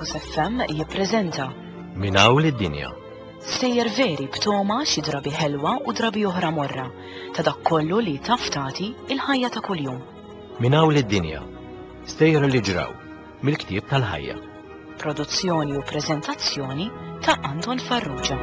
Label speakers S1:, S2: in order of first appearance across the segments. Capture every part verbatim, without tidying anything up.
S1: Campus F M jippreżenta
S2: Minn hawn id-dinja.
S1: Stejjer veri b'togħma xi drabi ħelwa u drabi oħra morra ta' dak kollu li taf tagħti il-ħajja ta' kuljum.
S2: Minn hawn id-dinja. Stejjer li ġraw mill-ktieb tal-ħajja.
S1: Produzzjoni u preżentazzjoni ta' Anton Farrugia.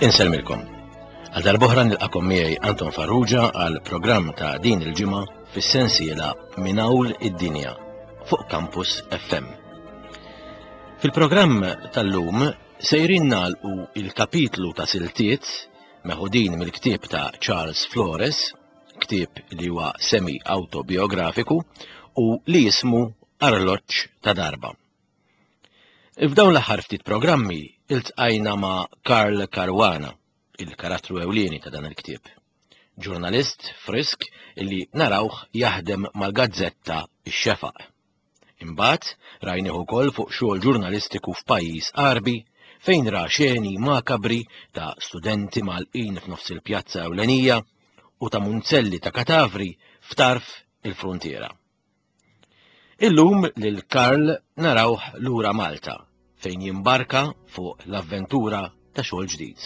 S2: Insellmilkom. Għal darb'oħra nilqakom miegħi Anton Farrugia għal programm ta' din il-ġimgħa fis-sensiela Minn hawn id-dinja fuq Campus F M. Fil-programm tal-lum sejrin nagħlqu il-kapitlu ta' siltiet meħudin mill-ktieb ta' Charles Flores, ktieb li huwa semi autobiografiku u li jismu Arloġġ ta' Darba. F'dawn l-aħħar ftit programmi iltqajna ma' Karl Caruana, il-karattru ewlieni ta' dan il-ktieb. Ġurnalist frisk illi narawh jaħdem mal-gazzetta Ix-Xefaq. Imbagħad rajnieh ukoll fuq xogħol ġurnalistiku f'pajjiż Għarbi fejn ra xeni makabri ta' studenti mgħallqin f'nofs il-pjazza ewlenija u ta' munzelli ta' katavri f'tarf il-frontiera. Illum lil Karl narawh lura Malta fejn jimbarka fuq l-avventura ta' xogħol ġdid.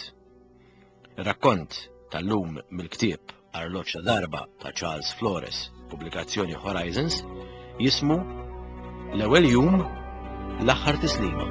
S2: Ir-rakkont tal-lum mill-ktieb Arloġġ ta' Darba ta' Charles Flores, pubblikazzjoni Horizons, jismu L-ewwel jum, l-aħħar tislima.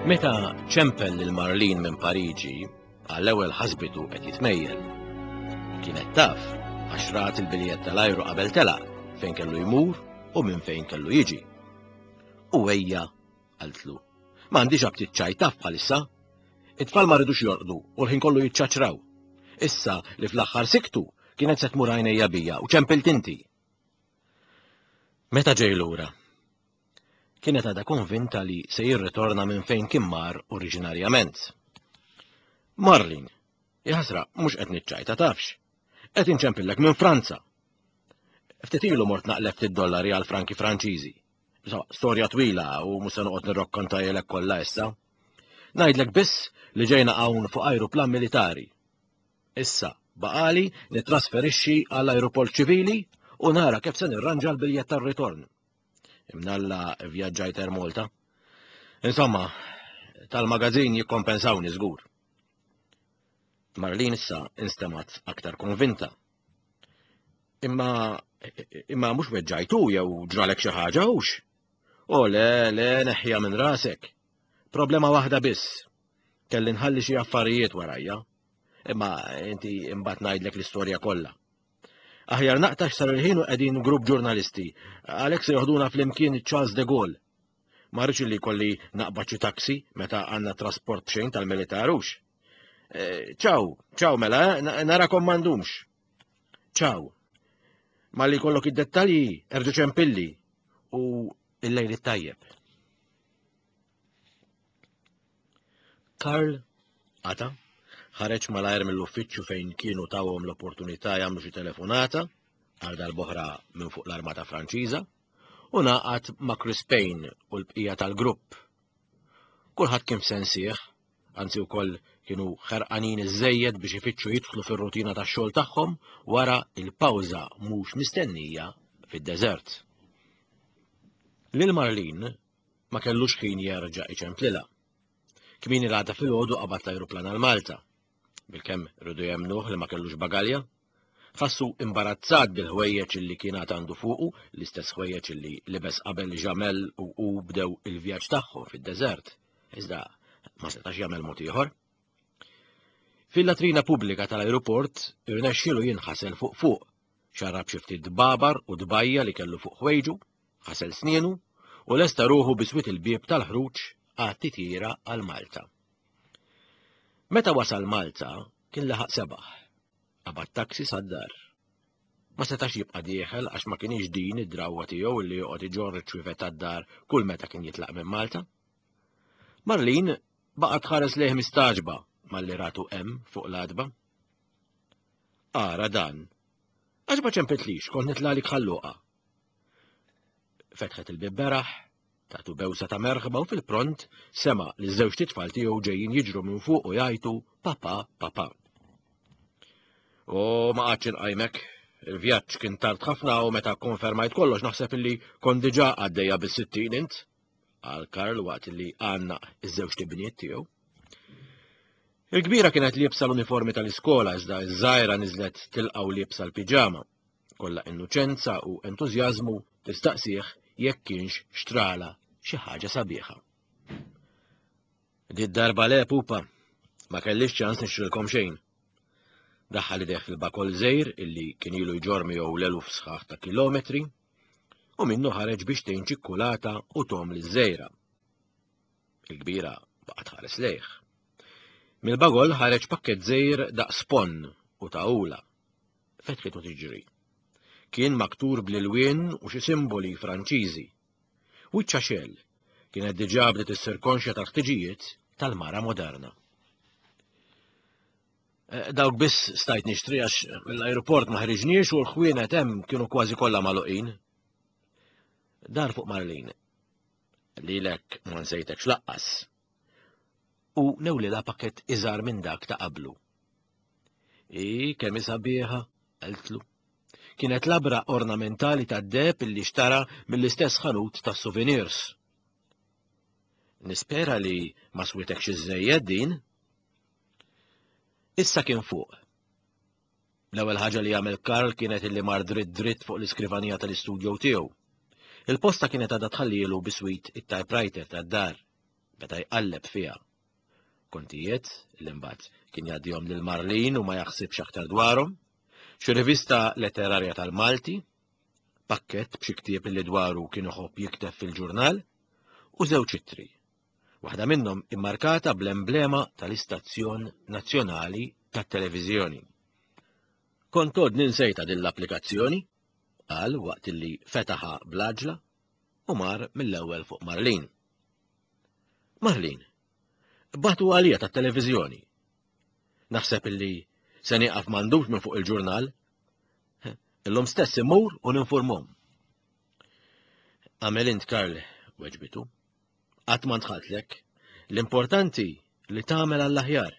S2: Meta ċempel lil Marlene minn Pariġi, għall-ewwel ħasbitu qed jitmejjel. Kienet taf għax rat il-biljett tal-ajru qabel telaq fejn kellu jmur u minn fejn kellu jiġi. U ejja, qaltlu, m'għandix aptit ċaj taf bħalissa. It-tfal ma ridux jorqdu u l-ħin kollu jiċċaċraw. Issa li fl-aħħar siktu kienet se tmur għajnejja bija u ċempilt inti. Meta ġej lura? Kienet għadha konvinta li se jirritorna minn fejn kien mar oriġinarjament. Marlene, jaħasra, mhux qed niċċajta tafx. Qed inċempillek minn Franza. Ftit ilu mort naqleb ftit dollari għal franki Franċiżi. Insomma, storja twila u mhux se noqgħod nirrakkontahielek kollha issa. Ngħidlek biss li ġejna hawn fuq ajruplan militari. Issa baqali nittrasferixxi għall ajruport ċivili u nara kif se nirranġa l-biljett tar-ritorn. Imnalla vjaġġajt Air Malta. Insomma, tal-magazin jikkompensawni żgur. Marlene issa instemat aktar konvinta. Imma imma mhux weġġajtu jew ġralek xi ħaġa hux? O le, le, neħħiha minn rasek. Problema waħda biss. Kelli nħalli xi affarijiet warajja. Imma inti imbagħad ngħidlek l-istorja kollha. Aħjar naqtax sar il-ħin u qegħdin grupp ġurnalisti, għalhekk se joħduna flimkien Charles de Gaulle. Ma rridx li kolli naqbad xi taxi meta għandna trasport b'xejn tal-militarux. Ċaw, ċaw mela, eh, narakom m'għandumx. Ċaw. Malli jkollok id-dettalji, erġa' ċempilli u il-lejl it-tajjeb. Karl qata' ħareġ malajr mill-uffiċċju fejn kienu tawhom l-opportunità jagħmlu xi telefonata għal darb'oħra minn fuq l-Armata Franċiża u naqat ma' Chris Payne u l-bqija tal-grupp. Kulħadd kien f'sensih, anzi wkoll kienu ħerqanin iżżejjed biex ifittxu jidħlu fir-rutina tax-xogħol tagħhom wara il-pawża mhux mistennija fid-deżert. Lil Marlene ma kellux ħin jerġa' iċemplilha. Kmieni l-għada filgħodu qabad l-ajruplan għal Malta. Bilkemm rridu jemnuh li ma kellux bagalja. Ħassu imbarazzat bil-ħwejjeġ li kien għad għandu fuqu, l-istess ħwejjeġ li libes qabel Jamel u u bdew il-vjaġġ tagħhom fid-deżert. Iżda ma setax jagħmel mod ieħor. Fil-latrina pubblika tal-ajruport irnexxielu jinħasel fuq fuq, xarrab xi ftit dbabar u dbajja li kellu fuq ħwejġu, ħasel snienu u lesta ruħu biswit il-bieb tal-ħruġ għat-titjira għal Malta. Meta wasal Malta kien laħaq sebaħ. Qabad taxi sad-dar. Ma setax jibqa' dieħel għax ma kienx din id-drawwa tiegħu li joqgħod iġorr iċ-ċwievet tad-dar kull meta kien jitlaq minn Malta. Marlene baqgħet tħares lejh mistaġba malli ratu hemm fuq l-għatba. Ara dan. Għax ma ċempitlix, kont nitlagħlik Ħal Luqa. Fetħet il-bib beraħ, tatu bewsa ta' merħba u fil-pront sema' li żewġt itfal tiegħu ġejjin jiġru minn fuq u jgħajtu papa, papa. O ma qgħadx inqajmek, il-vjaġġ kien tard ħafna u meta konfermajt kollox naħseb illi kont diġà għaddejja bis-sittin int, qal Karl waqt li għannaq iż-żewġt ibniet tiegħu. Il-kbira kienet liebsa l-uniformi tal-iskola iżda iż-żgħira niżlet tilqgħu liebsa l-piġama. Kollha innoċenza u entużjażmu tistaqsih jekk kienx xtrala xi ħaġa sabiħa. Di darba le pupa, ma kellix ċans nixtrilkom xejn. Daħħal idejh fil-bakol żgħir illi kien ilu jġorr miegħu l-eluf sħaħ ta' kilometri u minnu ħareġ biex tgħin ċikkulata u tom liż-żgħira. Il-kbira baqgħet ħares lejh. Mill-bagol ħareġ pakkett żgħir daqs ponn u tagħula. Fetħitu tiġri. Kien maktur bl-ilwien u xi simboli Franċiżi. Wiċċha xegħel kienet diġà bdiet issir konxja tal-ħtiġijiet tal-mara moderna. Dawk biss stajt nixtri għax l-aeroport ma ħriġniex u l-ħwienet hemm kienu kważi kollha magħluqin. Dar fuq Marlene. Lilek ma nsejtekx laqqas. U newlilha pakkett iżgħar minn dak ta' qablu. I kemm sabiħa, qaltlu. Kienet labra ornamentali tad-deheb illi xtara mill-istess ħanut tas-souvenirs. Nispera li ma switekx iżżejjed din. Issa kien fuq. L-ewwel ħaġa li għamel Karl kienet illi mar dritt dritt fuq l-iskrivanija tal-istudjo tiegħu. Il-posta kienet għadha tħallilu biswit it-typewriter tad-dar, beda jqalleb fiha. Kontijiet li mbagħad kien jgħaddihom lil Marlene u ma jaħsibx aktar dwarhom, xi rivista letterarja tal-Malti, pakkett b'xi ktieb li dwaru kien iħobb jikteb fil-ġurnal, u żewġ ittri. Waħda minnhom immarkata bl-emblema tal-Istazzjon Nazzjonali tat-Televiżjoni. Kont għodni nsejta din l-applikazzjoni, qal waqt li fetaħa bl-għaġla u mar mill-ewwel fuq Marlene. Marlene, bagħtu għalija tat-televiżjoni. Naħseb illi se nieqaf m'għandux minn fuq il-ġurnal. Illum stess immur u ninformhom. Għamel int Karl, weġbitu. Qatt ma ndħaltlek. L-importanti li tagħmel għall-aħjar.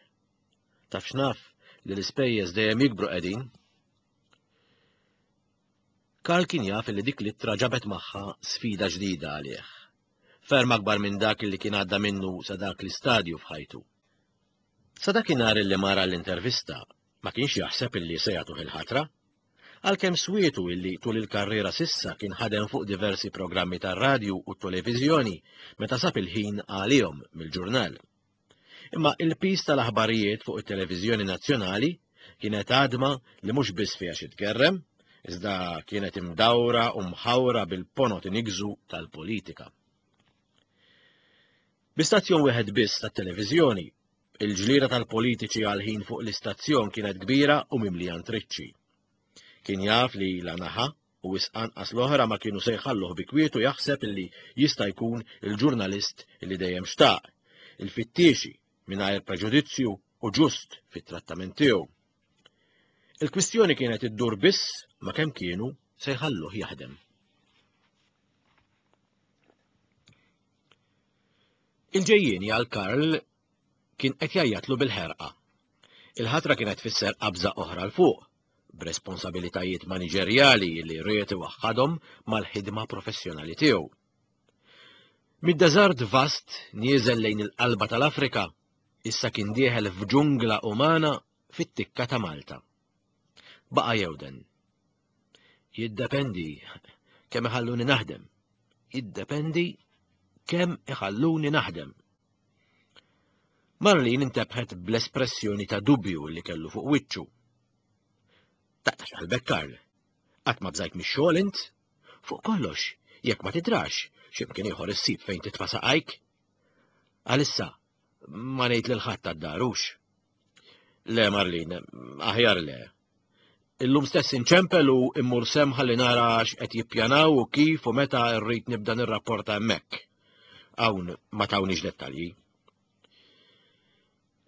S2: Taf x'naf li l-ispejjeż dejjem jikbru qegħdin. Karl kien jaf li dik l-ittra ġabet magħha sfida ġdida għalih. Ferm akbar minn dak li kien għadda minnu sa dak l-istadju f'ħajtu. Sa dakinhar li mara l-intervista ma kienx jaħseb illi se jagħtuh il-ħatra, għalkemm swietu illi tul il-karriera s'issa kien ħadem fuq diversi programmi tar-radju u t-televiżjoni meta sab il-ħin għalihom mill-ġurnal. Imma il-pis tal-aħbarijiet fuq it-televiżjoni nazzjonali kienet għadma li mhux biss fiha xi tgerrem, iżda kienet imdawra u mħawra bil-ponot inigżu tal-politika. Bi stazzjon wieħed biss tat-televiżjoni, il-ġlieda tal-politiċi għal ħin fuq l-istazzjon kienet kbira u mimlija ntriċċi. Kien jaf li la naħa u wisq anqas l-oħra ma kienu se jħalluh bi kwietu jaħseb illi jista' jkun il-ġurnalist illi dejjem xtaq, il-fittixi mingħajr preġudizzju u ġust fit-trattament tiegħu. Il-kwistjoni kienet iddur biss ma kemm kienu se jħalluh jaħdem. Il-ġejjieni għal Karl kien qed jgħajjatlu bil-ħerqa. Il-ħatra kienet tfisser qabża oħra 'l fuq, b'responsabilitajiet maniġerjali li ried iwaħħadhom mal-ħidma professjonali tiegħu. Mid-deżert vast nieżel lejn il-qalba tal-Afrika, issa kien dieħel f'ġungla umana fit-tikka ta' Malta. Baqa' jewden. Jiddependi kemm iħalluni naħdem. Jiddependi kemm iħalluni naħdem. Marlene intebħet bl-espressjoni ta' dubju li kellu fuq wiċċu. Taqtax qalbek Karl. Qatt ma bżajt mix-xogħol int? Fuq kollox, jekk ma tidrax, x'imkien ieħor issib fejn titfa' saqajk. Għalissa, ma ngħid lil ħadd għad-darux. Le Marlene, aħjar le. Illum stess inċempel u immur semm ħalli nara x'qed jippjanaw u kif u meta rrid nibda nirrapporta hemmhekk. Hawn ma tawniex dettalji.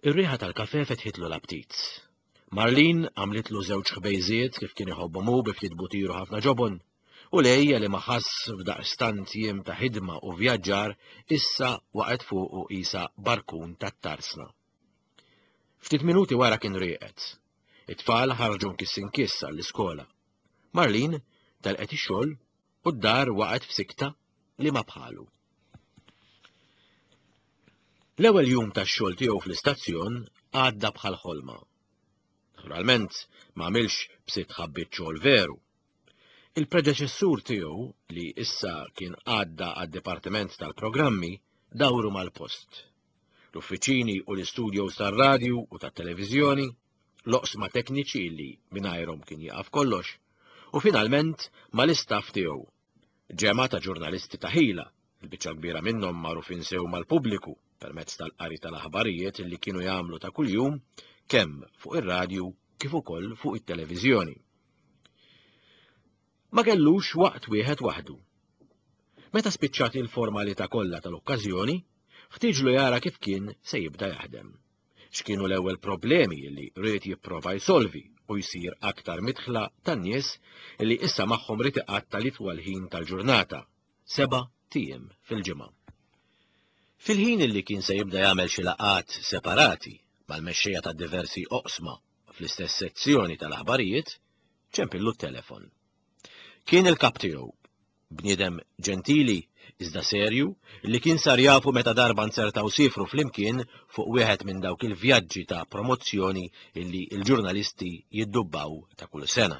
S2: Ir-riħa tal-kafe fetħitlu l-aptit. Marlene għamlitlu żewġ ħbejżiet kif kien iħobbhom hu bi ftit butir u ħafna ġobon, u l-għejja li ma ħass f'daqstant jiem ta' ħidma u vjaġġar issa waqgħet fuqu qisha barkun tat-tarsna. Ftit minuti wara kien rieqed. It-tfal ħarġu nkiss inkiss għall-iskola. Marlene telqet ix-xogħol u d-dar waqgħet f'sikta li ma bħalu. L-ewwel jum tax-xogħol tiegħu fl-istazzjon għadda bħal ħolma. Naturalment ma għamilx b'sitt ħabbiet xogħol veru. Il-predeċessur tiegħu, li issa kien għadda għad-dipartiment tal-programmi, dawru mal-post. L-uffiċini u l-istudios tar-radju u tat-televiżjoni, l-oqsma tekniċi li mingħajrhom kien jaqaf kollox, u finalment mal-istaff tiegħu. Ġemgħa ta' ġurnalisti ta' ħila, il-biċċa kbira minnhom magħrufin sew mal-pubbliku permezz tal-qari tal-aħbarijiet li kienu jagħmlu ta' kuljum kemm fuq ir-radju kif ukoll fuq it-televiżjoni. Ma kellux waqt wieħed waħdu. Meta spiċċat il-formalità kollha tal-okkażjoni, ħtieġlu jara kif kien se jibda jaħdem. X'kienu l-ewwel problemi li ried jipprova jsolvi u jsir aktar midħla tan-nies li issa magħhom ried iqatta' l-itwal ħin tal-ġurnata, seba' tiem fil-ġimgħa. Fil-ħin li kien se jibda jagħmel xi laqgħat separati mal-mexxejja ta' diversi oqsma fl-istess sezzjoni tal-aħbarijiet, ċempillu t-telefon. Kien il-kap tiegħu, bniedem ġentili iżda serju li kien sar jafu meta darba nsertaw sifru flimkien fuq wieħed minn dawk il-vjaġġi ta' promozzjoni illi l-ġurnalisti jiddubbaw ta' kull sena.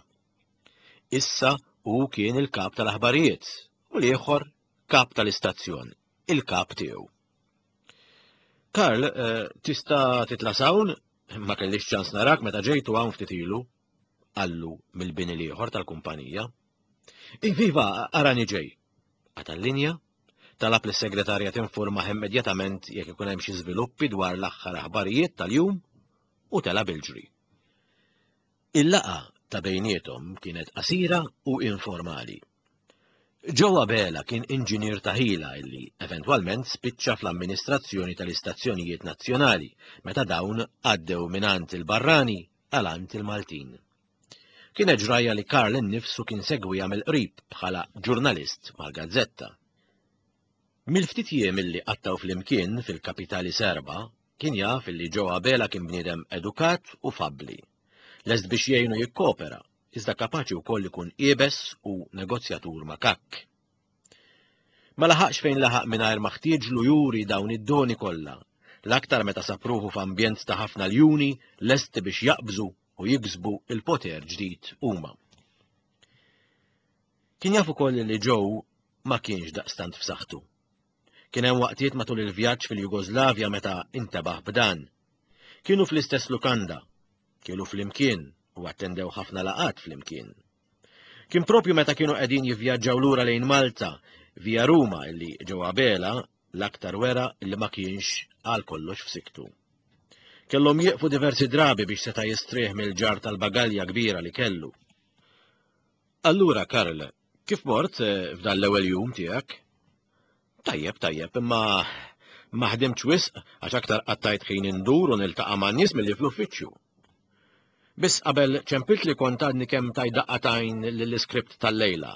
S2: Issa hu kien il-kap tal-aħbarijiet u l-ieħor kap tal-istazzjon, il-kap tiegħu. Karl, eh, tista' titla' s'hawn? Ma kellix ċans narak meta ġejtu hawn ftit ilu, qallu mill-bini l-ieħor tal-kumpanija. Iviva, arani ġej. Qata' l-linja, talab lis-segretarja tinformah immedjatament jekk ikun hemm xi żviluppi dwar l-aħħar aħbarijiet tal-jum u tela' bil-ġri. Il-laqgħa ta' bejniethom kienet qasira u informali. Joe Abela kien inġinier ta' ħila illi eventwalment spiċċa fl-amministrazzjoni tal-istazzjonijiet nazzjonali meta dawn għaddew mingħand il-barrani għal għand il-Maltin. Kienet ġrajja li Karl innifsu kien segwija mill-qrib bħala ġurnalist mal-Gazzetta. Mill-ftit jiem illi qattaw flimkien fil-kapitali Serba, kien jaf illi Joe Abela kien bniedem edukat u fabbli. Lest biex jgħinu jikkopera, iżda kapaċi wkoll ikun iebes u negozjatur makakk. Ma laħaqx fejn laħaq mingħajr ma ħtieġlu juri dawn id-doni kollha, l-aktar meta sapruħu f'ambjent ta' ħafna ljuni lesti biex jaqbżu u jiksbu il-poter ġdid huma. Kien jaf ukoll li Joe ma kienx daqstant f'saħħtu. Kien hemm waqtiet matul il-vjaġġ fil-Jugoslavja meta intebaħ b'dan. Kienu fl-istess lukanda, kienu flimkien u attendew ħafna laqgħat flimkien. Kien propju meta kienu qegħdin jivvjaġġaw lura lejn Malta via Ruma illi Joe Abela l-aktar wera illi ma kienx għal kollox f'siktu. Kellhom jieqfu diversi drabi biex seta' jistrieħ mill-ġar tal-bagalja kbira li kellu. Allura, Karl, kif mort f'dan l-ewwel jum tiegħek? Tajjeb, tajjeb, imma ma ħdimtx wisq għax aktar qattajt ħin indur u niltaqa' man-nies milli fl-uffiċċju. Biss qabel ċempilt li kont għadni kemm taj daqqatajn lill-iskript tal-lejla.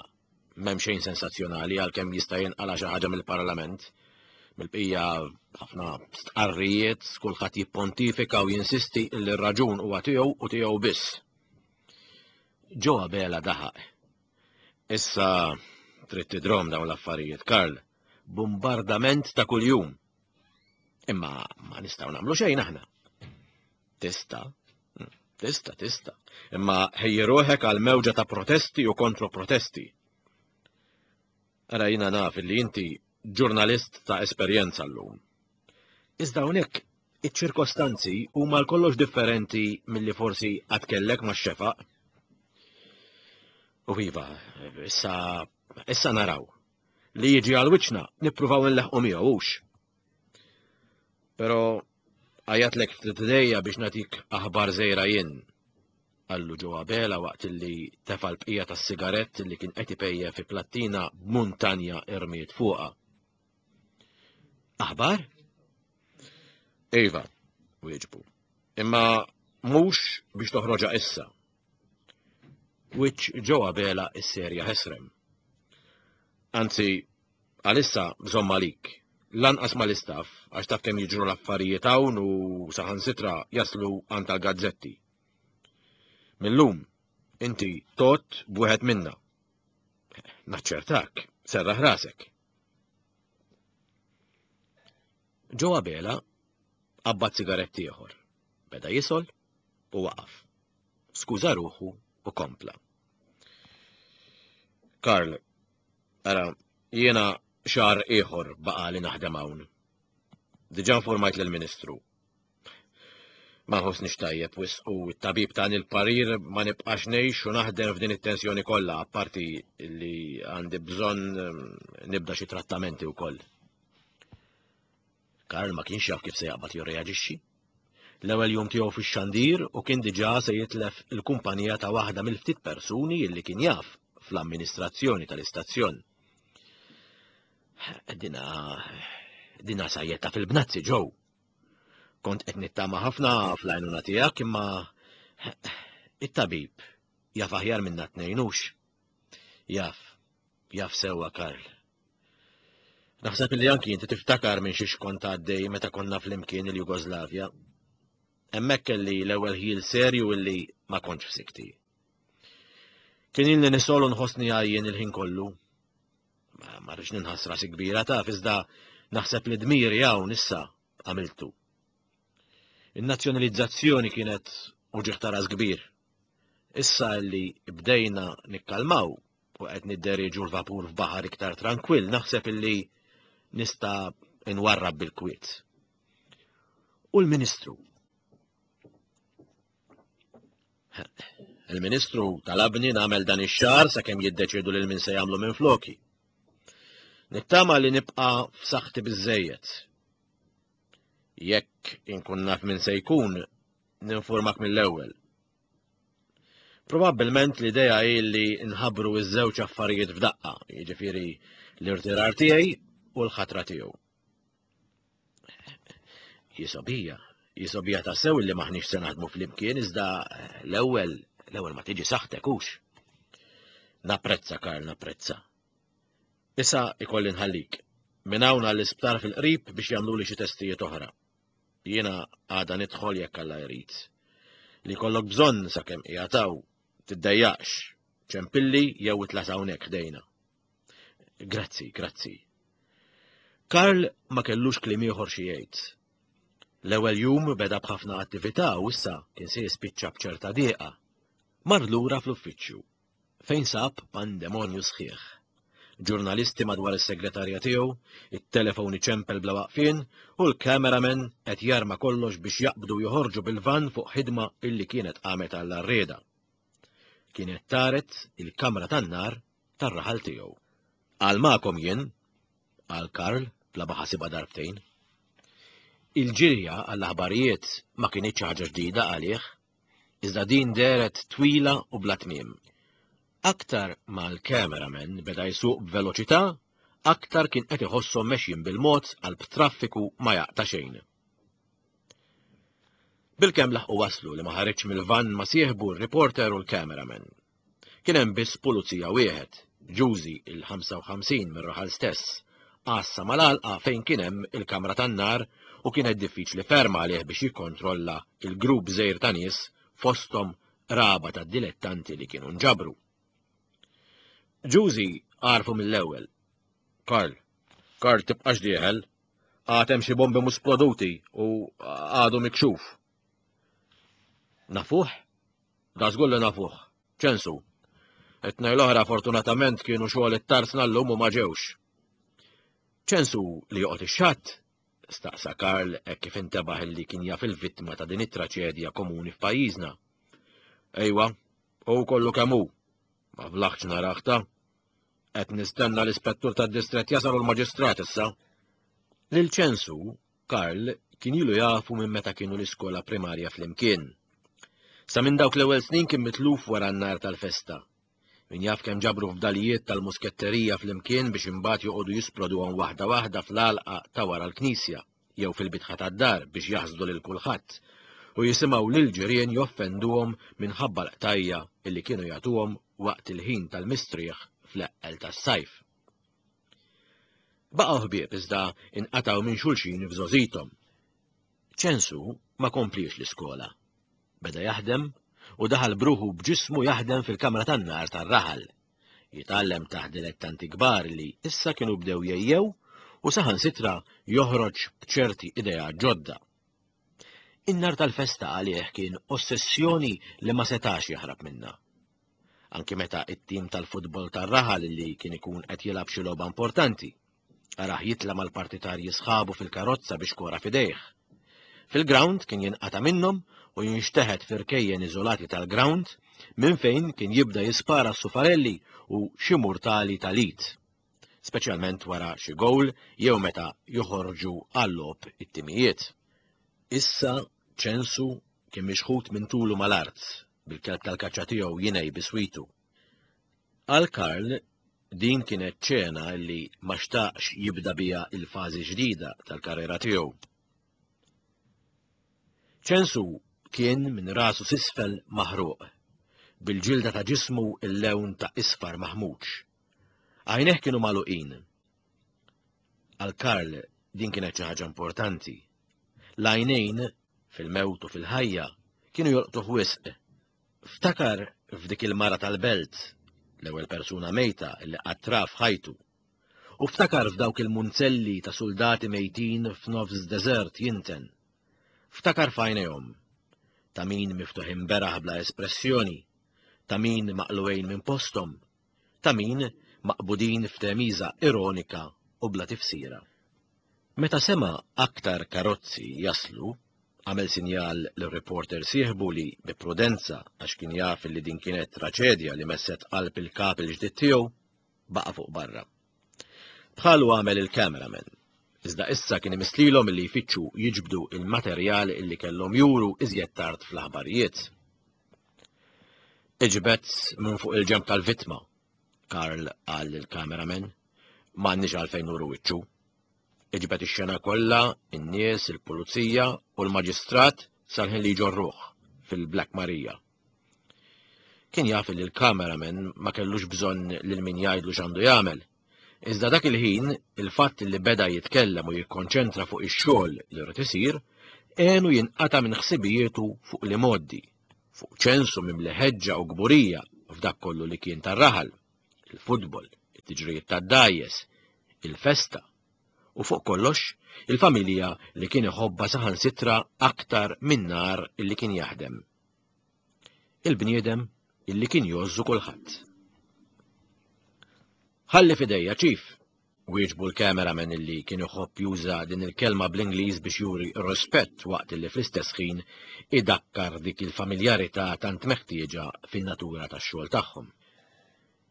S2: M'hemm xejn sensazzjonali għalkemm jista' jinqala' xi ħaġa mill-Parlament. Mill-bqija ħafna stqarrijiet, kulħadd jippontifika u jinsisti li r-raġun huwa tiegħu u tiegħu biss. Joe Abela daħaq. Issa trid tidrom dawn l-affarijiet, Karl. Bombardament ta' kuljum. Imma ma nistgħu nagħmlu xejn aħna. Tista', tista', tista'. Imma ħejji ruħek għal mewġa ta' protesti u kontroprotesti. Ara jiena naf li inti ġurnalist ta' esperjenza llum. Iżda hawnhekk iċ-ċirkostanzi huma l-kollox differenti milli forsi qatt kellek max-xefaq. U iva, issa, issa naraw. Li jiġi għal wiċċna nippruvaw nleħqu miegħu hux. Però għajatlek ftit idejja biex nagħtik aħbar żejra jien. Qallu Joe Abela waqt li tefa' l-bqija tas-sigarett li kien qed ipejjep fi plattina b'muntanja irmiet fuqha. Aħbar? Iva, wieġbu. Imma mhux biex toħroġha issa. Wiċċ Joe Abela isserja ħesrem. Anzi, għalissa bżomm għalik. Lanqas mal-istaff, għax taf kemm jiġru l-affarijiet hawn u saħansitra jaslu għand tal-gazzetti. Millum, inti tot b'wieħed minna. Naċċertak, serraħ rasek. Joe Abela qabbad sigaretti ieħor. Beda jisol u waqaf. Skuża ruħu u kompla. Karl, ara, jiena xahar ieħor baqa' li naħdem hawn. Diġà informajt lill-Ministru. Ma nħossnix tajjeb wisq u t-tabib tani l-parir ma nibqax ngħix u naħdem f'din it-tensjoni kollha, apparti li għandi bżonn nibda xi trattamenti wkoll. Karl ma kienx jaf kif se jaqbad jirreaġixxi. L-ewwel jum tiegħu fix-xandir u kien diġà se jitlef il-kumpanija ta' waħda mill-ftit persuni li kien jaf fl-amministrazzjoni tal-istazzjon. Dina, dina sajjetta fil-bnazzi Joe. Kont qed nittama ħafna fl-għajnuna tiegħek imma it-tabib jaf aħjar minna tnejnux. Jaf, jaf sewwa Karl. Naħseb li anki inti tiftakar minn xiex kont għaddej meta konna flimkien il-Jugoslavja. Hemmhekk kelli l-ewwel ħjiel serju illi ma kontx f'sikti. Kien ilni nisol u nħossni għajjien il-ħin kollu. Ma, ma rridx ninħass rasi kbira taf, iżda naħseb li dmiri hawn issa għamiltu. In-nazzjonalizzazzjoni kienet uġigħ ta' ras kbir. Issa li bdejna nikkalmaw u qed nidderieġu l-vapur f'baħar iktar trankwill, naħseb illi nista' nwarrab bil-kwiet. U l-Ministru? Il-Ministru talabni nagħmel dan ix-xahar sakemm jiddeċiedu lil min se jagħmlu minn floki. Nittama li nibqa' f'saħħti biżżejjed. Jekk inkun naf min se jkun, ninformak mill-ewwel. Probabbilment l-idea hi li nħabbru ż-żewġ affarijiet f'daqqa, jiġifieri l-irtirar tiegħi u l-ħatra tiegħu. Jisobija, jisobija tassew li maħniex se naħdmu flimkien, iżda l-ewwel, l-ewwel ma tiġi saħħtek hux. Napprezza, Karl, napprezza. Issa ikolli nħallik. Minn hawn għall-isptar fil-qrib biex jagħmluli xi testijiet oħra. Jiena għada nidħol jekk Alla jrid. Li kollok bżonn sakemm qiegħed hawn, tiddejjaqx, ċempilli jew itlas hawnhekk ħdejna. Grazzi, grazzi. Karl ma kellux kliem ieħor xi jgħid. L-ewwel jum beda b'ħafna attività u issa kien se jispiċċa b'ċerta dieqa. Mar lura fl-uffiċċju, fejn sab pandemonju sħiħ. Ġurnalisti madwar is-segretarja tiegħu, it-telefon iċempel bla waqfien u l-cameraman qed jarma kollox biex jaqbdu joħorġu bil-van fuq ħidma illi kienet qamet għall-arrieda. Kienet taret il-kamra tan-nar tar-raħal tiegħu. Għal magħkom jien, qal Karl bla ma ħasibha darbtejn. Il-ġirja għall-aħbarijiet ma kinitx ħaġa ġdida għalih, iżda din dehret twila u bla tmiem. Aktar ma l-cameraman beda jsuq b'veloċità, aktar kien qed iħosshom mexjin bil-mod għal b'traffiku ma jaqta' xejn. Bilkemm laħqu waslu li ma ħareġ mill-van ma sieħbu r-reporter u l-cameraman. Kien hemm biss pulizija wieħed, Ġużi il-ħamsa u ħamsin mir-raħal stess, għassa mal-għalqa fejn kien hemm il-kamra tan-nar u kienet diffiċli ferm għalih biex jikkontrolla il-grupp żgħir ta' nies fosthom raba ta' dilettanti li kienu nġabru. Ġużi għarfu mill-ewwel. Karl, Karl tibqax dieħel, għad hemm xi bombi mhux sploduti u għadu mikxuf. Nafuh? Da żgur li nafuh. Ċensu. It-tnejn l-oħra fortunatament kienu xogħol it-tarsna llum u ma ġewx. Ċensu li joqgħod ix-xatt? Staqsa Karl hekk kif intebaħ li kien jaf il-vittma ta' din it-traċedja komuni f'pajjiżna. Ejwa, u kollu kemm hu. Ma flaħtx naraħta. Qed nistenna l-ispettur tad-distrett jasal u l-maġistrat issa. Lil Ċensu, Karl kien ilu jafu minn meta kienu l-iskola primarja flimkien. Sa minn dawk l-ewwel snin kien mitluf wara n-nar tal-festa. Min jaf kemm ġabru fdalijiet tal-musketterija flimkien biex imbagħad joqogħdu jisploduhom waħda waħda fl-għalqa ta' wara l-knisja jew fil-bitħa tad-dar biex jaħsdu lil kulħadd u jisimgħu lil ġirien joffenduhom minħabba l-qtajja illi kienu jagħtuhom waqt il-ħin tal-mistrieħ fl-eqqel tas-sajf. Baqgħu ħbieb iżda inqatgħu minn xulxin f'żgħożithom. Ċensu ma kompliex l-iskola. Beda jaħdem u daħal bruħu b'ġismu jaħdem fil-kamra tan-nar tar-raħal. Jitgħallem taħt dilettanti kbar li issa kienu bdew jejjew u saħansitra joħroġ b'ċerti idea ġodda. In-nar tal-festa għalih kien ossessjoni li ma setax jaħrab minnha. Anki meta it-tim tal-futbol tar-raħal li kien ikun qed jilgħab xi logħba importanti, arah jitla' mal-partitarji sħabu fil-karozza biex kora f'idejh. Fil-ground kien jinqata' minnhom u jinxteħet f'irkejjen iżolati tal-ground minn fejn kien jibda jispara s-sufarelli u xi murtali tal-it, speċjalment wara xi gowl jew meta joħorġu għal-logħob it-timijiet. Issa Ċensu kien mixħut minn tulu mal-art bil-kelb tal-kaċċa tiegħu jinej biswitu. Għal Karl din kienet ċena li ma xtaqx jibda biha il-fażi ġdida tal-karriera tiegħu. Ċensu kien minn rasu s'isfel maħruq, bil-ġilda ta' ġismu il-lewn ta' isfar maħmuġ. Għajneh kienu magħluqin. Għal Karl din kienet xi ħaġa importanti. L-għajnejn fil-mewt u fil-ħajja kienu jolqtuh wisq. Ftakar f'dik il-mara tal-belt, l-ewwel persuna mejta li qatt ra f'ħajtu. U ftakar f'dawk il-munzelli ta' soldati mejtin f'nofs deżert jinten. Ftakar f'għajnejhom, ta' min miftuħin beraħ bla espressjoni, ta' min maqluwejn minn posthom, ta' min maqbudin f'temiża ironika u bla tifsira. Meta sema' aktar karozzi jaslu, għamel sinjal lir-reporter sieħbu li bi prudenza għax kien jaf li din kienet traċedja li messet qalb il-kap il-ġdid tiegħu, baqa' fuq barra. Bħalu għamel il-cameraman, iżda issa kien imislilhom li jfittxu jiġbdu il-materjal illi kellhom juru iżjed tard fl-aħbarijiet. Iġbed minn fuq il-ġemp tal-vittma, Karl qal lill-cameraman, m'għandniex għalfejn nuru wiċċu. Iġbed ix-xena kollha, in-nies, il-pulizija u l-maġistrat sal-ħin li jġorruh fil-Black Maria. Kien jaf li l-cameraman ma kellux bżonn lil min jgħidlu x'għandu jagħmel. Iżda dak il-ħin, il-fatt li beda jitkellem u jikkonċentra fuq ix-xogħol li rrid isir, għenu jinqata' minn ħsibijietu fuq li moddi, fuq Ċensu mimli ħeġġa u kburija f'dak kollu li kien tar-raħal, il-futbol, it-tiġrijiet tad-dgħajjes, il-festa, u fuq kollox il-familja li kien iħobbha saħansitra aktar minn nar illi kien jaħdem. Il-bniedem illi kien jgħożżu kulħadd. Ħalli f'idejja, Chief, wieġbu l-cameraman illi kien iħobb juża din il-kelma bl-Ingliż biex juri r-rispett waqt illi fl-istess ħin idakkar dik il-familjarità tant meħtieġa fin-natura tax-xogħol tagħhom.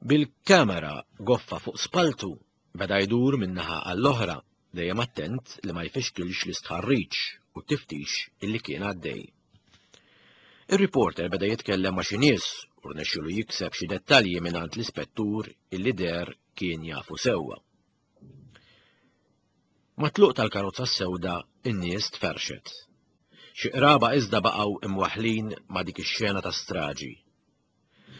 S2: Bil-kamera goffa fuq spaltu beda jdur minn naħa għall-oħra, dejjem attent li ma jfixkilx l-istħarriġ u t-tiftix illi kien għaddej. Ir-reporter beda jitkellem ma' xi nies u rnexxielu jikseb xi dettalji mingħand l-ispettur illi deher kien jafu sewwa. Mat-tluq tal-karozza s-sewda in-nies tferxet. Xi qraba iżda baqgħu imwaħħlin ma' dik ix-xena ta' straġi.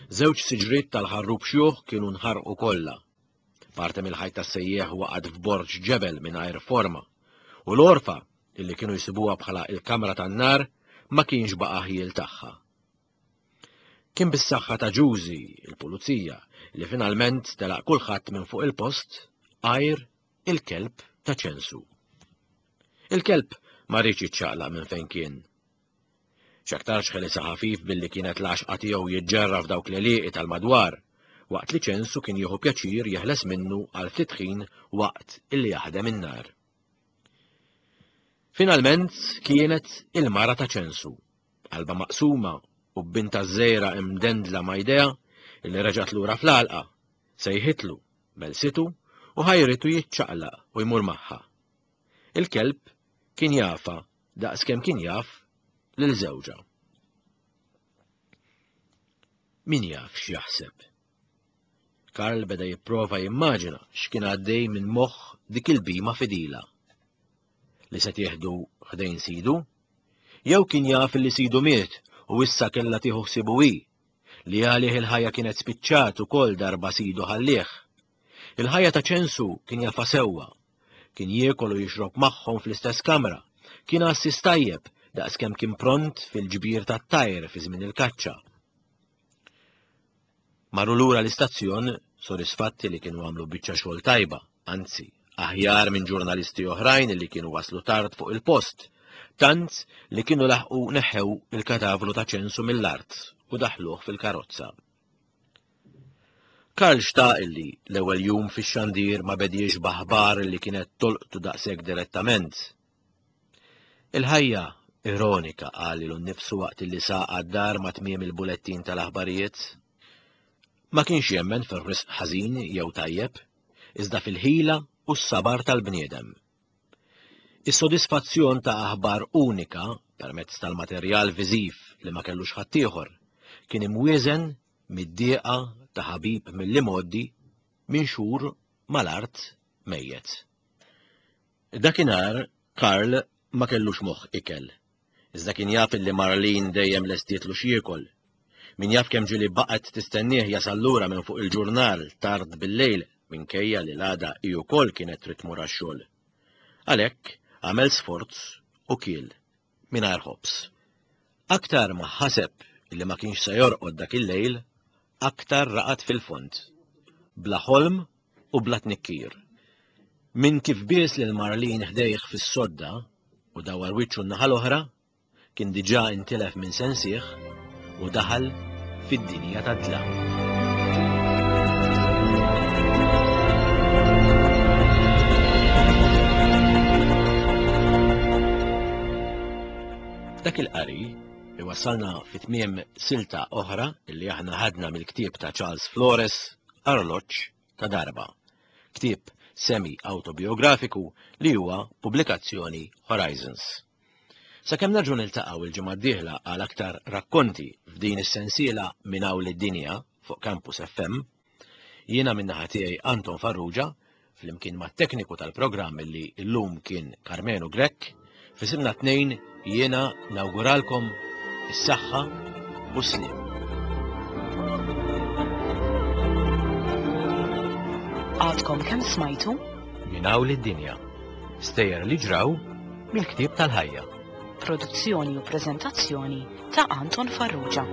S2: Żewġ siġriet tal-ħarrub xjuħ kienu nħarqu kollha. Parti mill-ħajt tas-sejjieħ waqgħet f'borġ ġebel mingħajr forma, u l-orfa illi kienu jsibuha bħala il-kamra tan-nar ma kienx baqa' ħjiel tagħha. Kien bis-saħħa ta' Ġużi, il-pulizija, li finalment telaq kulħadd minn fuq il-post għajr il-kelb ta' Ċensu. Il-kelb ma riedx jiċċaqlaq minn fejn kien. X'aktarx ħelisha ħafif billi kienet l-għaxqa tiegħu jiġġerra f'dawk l-għelieqi tal-madwar, waqt li Ċensu kien jieħu pjaċir jeħles minnu għal ftit ħin waqt illi jaħdem in-nar. Finalment kienet il-mara ta' Ċensu, qalba maqsuma u b'binta żgħira imdendla ma' jdejha illi reġgħet lura fl-għalqa, sejħitlu, belsitu u ħajritu jiċċaqlaq u jmur magħha. Il-kelb kien jafa daqskemm kien jaf lil żewġha. Min jaf x'jaħseb? Karl beda jipprova jimmaġina x'kien għaddej minn moħħ dik il-bhima fidila. Li se tieħdu ħdejn sidu? Jew kien jaf li sidu miet u issa kellha tieħu ħsiebu hi, li għalih il-ħajja kienet spiċċat ukoll darba sidu ħallih. Il-ħajja ta' Ċensu kien jafha sewwa. Kien jiekol u jixrob magħhom fl-istess kamra. Kien għassis tajjeb daqskemm kien pront fil-ġbir tat-tajr fi żmien il-kaċċa. Marru lura l-istazzjon sodisfatti li kienu għamlu biċċa xogħol tajba, anzi, aħjar minn ġurnalisti oħrajn li kienu waslu tard fuq il-post, tant li kienu laħqu neħew il-katavru ta' Ċensu mill-art u daħluh fil-karozza. Karl xtaq illi l-ewwel jum fix-xandir ma bediex b'aħbar li kienet tolqtu daqshekk direttament. Il-ħajja ironika, qal lilu nnifsu waqt li saq għad-dar ma' tmiem il-bulettin tal-aħbarijiet. Ma kienx jemmen fir-risq ħażin jew tajjeb, iżda fil-ħila u s-sabar tal-bniedem. Is-sodisfazzjon ta' aħbar unika permezz tal-materjal viżiv li ma kellux ħaddieħor kien imwieżen mid-dieqa ta' ħabib mill-imgħoddi minn xhur mal-art mejjet. Dakinhar Karl ma kellux moħħ ikel, iżda kien jaf li Marlene dejjem lestietlu x'jiekol. Min jaf kemm ġieli baqgħet tistennieh jasal lura minn fuq il-ġurnal tard bil-lejl minkejja li l-għada hi wkoll kienet trid tmur għax-xogħol. Għalhekk għamel sforz u kiel mingħajr ħobż. Aktar ma ħaseb li ma kienx se jorqod dak il-lejl, aktar raqad fil-fond, bla ħolm u bla tnikkir. Min kif bies lil Marlene ħdejh fis-sodda u dawar wiċċu n-naħa l-oħra, kien diġà intilef minn sensih u daħal fid-dinja tad-dlam. Dak il-qari iwassalna fi tmiem silta oħra li aħna ħadna mill-ktieb ta' Charles Flores, Arloġġ ta' Darba, ktieb semi-autobiografiku li huwa pubblikazzjoni Horizons. Sakemm nerġgħu niltaqgħu il-ġimgħa d-dieħla għal aktar rakkonti f'din is-sensiela minn hawn lid-dinja fuq Campus F M, jiena min-naħa tiegħi Anton Farrugia, flimkien mat-tekniku tal-programm li llum kien Karmenu Grech, f'isimna tnejn jiena nawguralkom is-saħħa u s-sliem.
S1: Għadkom kemm smajtu?
S2: Minn hawn lid-dinja. Stejjer li ġraw mill-ktieb tal-ħajja.
S1: Produzzjoni u preżentazzjoni ta' Anton Farrugia.